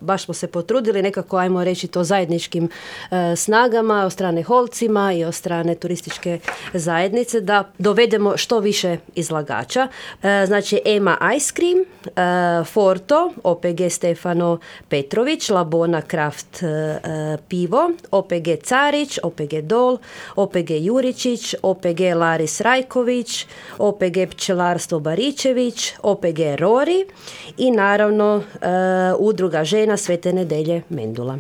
baš smo se potrudili nekako, ajmo reći to zajedničkim snagama, od strane Holcima i od strane turističke zajednice, da dovedemo što više izlagača. Znači Ema Ice Cream, Forto, OPG Stefano Petrović, Labona Kraft pivo, OPG Carić, OPG Dol, OPG Juričić, OPG Laris Rajković, OPG Pčelarstvo Baričević, OPG Rori i naravno Udruga žena Svete Nedelje Mendula.